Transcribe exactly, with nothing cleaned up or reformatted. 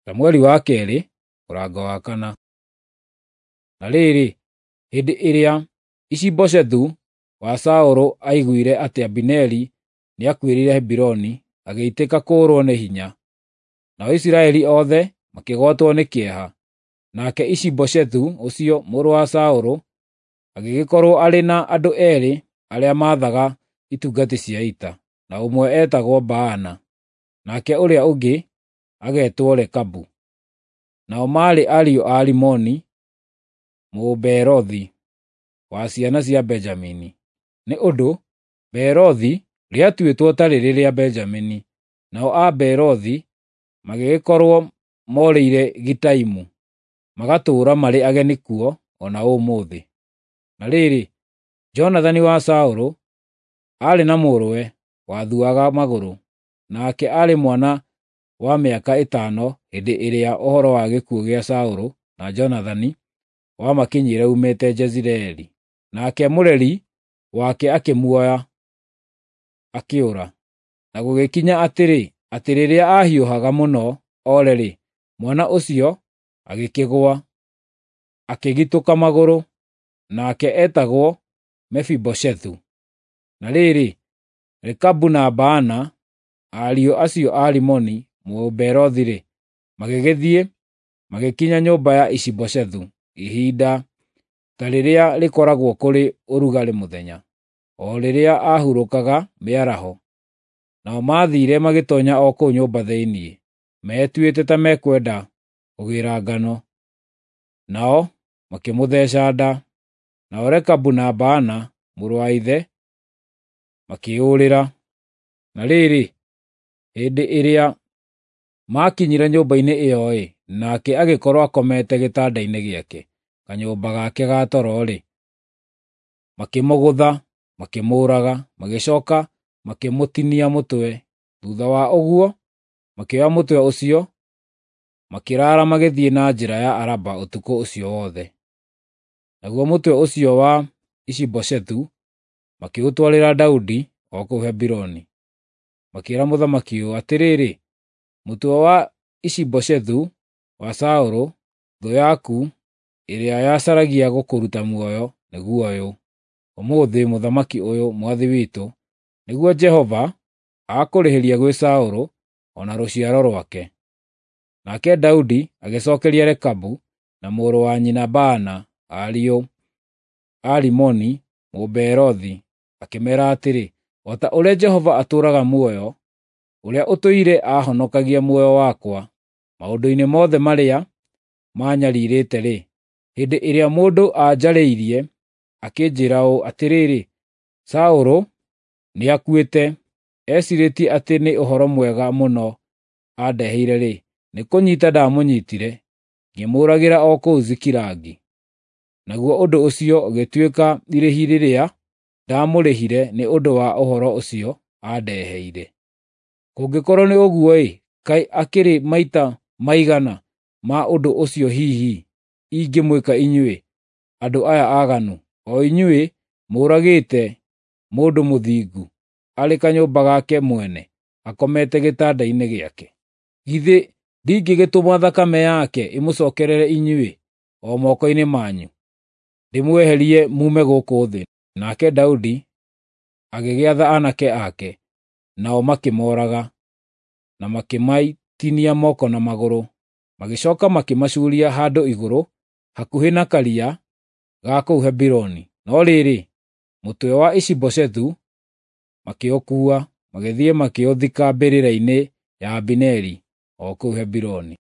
Samueli wa kerĩ mũrango wa kana. Na rĩrĩ, hĩndĩ ĩrĩa Ishi-Boshethu wa Saũlũ aiguire atĩ Abineri nĩakuĩrĩire Hebironi, agĩitĩka kũũrwo nĩ hinya. Nao Isiraeli othe makĩgwatwo nĩ kĩeha. Nake Ishi-Boshethu ũcio mũrũ wa Saũlũ agĩgĩkorwo arĩ na andũ eerĩ arĩa maathaga itungati cia ita, na ũmwe eetagwo Baana, nake ũrĩa ũngĩ agetwo Rekabu. Nao maarĩ ariũ a Rimoni Mũbeerothi wa ciana cia Benjamini, nĩ ũndũ Beerothi rĩatuĩtwo ta rĩrĩ rĩa Benjamini. Nao Abeerothi magĩgĩkorwo morĩire Gitaimu, magatũũra marĩ ageni kuo o na ũmũthĩ. Na rĩrĩ, Jonathani wa Saũlũ aarĩ na mũrũwe wathuaga magũrũ, nake aarĩ mwana wa mĩaka ĩtano hĩndĩ ĩrĩa ũhoro wa gĩkuũ gĩa Saũlũ na Jonathani wamakinyĩire uumĩte Jezireeli. Nake mũreri wake akĩmuoya, akĩũra. Na gũgĩkinya atĩrĩ, atĩ rĩrĩa aahiũhaga mũno oore-rĩ, mwana ũcio agĩkĩgũa, akĩgitũka magũrũ, nake eetagwo Mefiboshethu. Na rĩrĩ, Rekabu na Baana, ariũ acio a Rimoni Mũbeerothi-rĩ, magĩgĩthiĩ magĩkinya nyũmba ya Ishi-Boshethu ihinda ta rĩrĩa rĩkoragwo kũrĩ ũrugarĩ mũthenya, o rĩrĩa aahurũkaga mĩaraho. Nao maathiire magĩtoonya o kũu nyũmba thĩinĩ, metuĩte ta mekwenda kũgĩĩra ngano. Nao makĩmũtheeca nda. Nao Rekabu na Baana mũrũ wa ithe makĩĩyũrĩra. Na rĩrĩ, hĩndĩ ĩrĩa maakinyire nyũmba-inĩ ĩyo-ĩ, nake agĩkorwo akomete gĩtanda-inĩ gĩake, kanyũmba gake ga toro-rĩ, makĩmũgũtha, makĩmũũraga, magĩcooka makĩmũtinia mũtwe. Thuutha wa ũguo makĩoya mũtwe ũcio, makĩraara magĩthiĩ na njĩra ya Araba ũtukũ ũcio wothe. Naguo mũtwe ũcio wa Ishi-Boshethu makĩũtwarĩra Daudi o kũu Hebironi. Makĩĩra mũthamaki ũũ, “Atĩrĩrĩ, mũtwe wa Ishi-Boshethu wa Saũlũ, thũ yaku ĩrĩa yacaragia gũkũruta muoyo, nĩguo ũyũ. Ũmũthĩ mũthamaki ũyũ, mwathi witũ, nĩguo Jehova akũrĩhĩria gwĩ Saũlũ o na rũciaro rwake.” Nake Daudi agĩcookeria Rekabu na mũrũ wa nyina Baana, ariũ a Rimoni Mũbeerothi, akĩmeera atĩrĩ, “O ta ũrĩa Jehova atũũraga muoyo, ũrĩa ũtũire aahonokagia muoyo wakwa maũndũ-inĩ mothe marĩa maanyariirĩte-rĩ, hĩndĩ ĩrĩa mũndũ aanjarĩirie akĩnjĩĩra ũũ, ‘Atĩrĩrĩ, Saũlũ nĩakuĩte,’ eciirĩtie atĩ nĩ ũhoro mwega mũno andeheire-rĩ, nĩkũnyiita ndamũnyiitire, ngĩmũũragĩra o kũu Zikilagi. Naguo ũndũ ũcio ũgĩtuĩka irĩhi rĩrĩa ndamũrĩhire nĩ ũndũ wa ũhoro ũcio andeheire. Kũngĩkorwo nĩ ũguo-ĩ, kaĩ akĩrĩ maita maigana ma ũndũ ũcio hihi ingĩmwĩka inyuĩ, andũ aya aaganu, o inyuĩ mũũragĩte mũndũ mũthingu arĩ kanyũmba gake mwene, akomete gĩtanda-inĩ gĩake? Githĩ ndingĩgĩtũma thakame yake ĩmũcookerere inyuĩ o moko-inĩ manyu, ndĩmweherie muume gũkũ thĩ?” Nake Daudi agĩgĩatha aanake ake, nao makĩmooraga, na makĩmatinia moko na magũrũ. Magĩcooka makĩmacuuria handũ igũrũ hakuhĩ na karia ga kũu Hebironi. No rĩrĩ, mũtwe wa Ishi-Boshethu makĩũkuua, magĩthiĩ makĩũthika mbĩrĩra-inĩ ya Abineri o kũu Hebironi.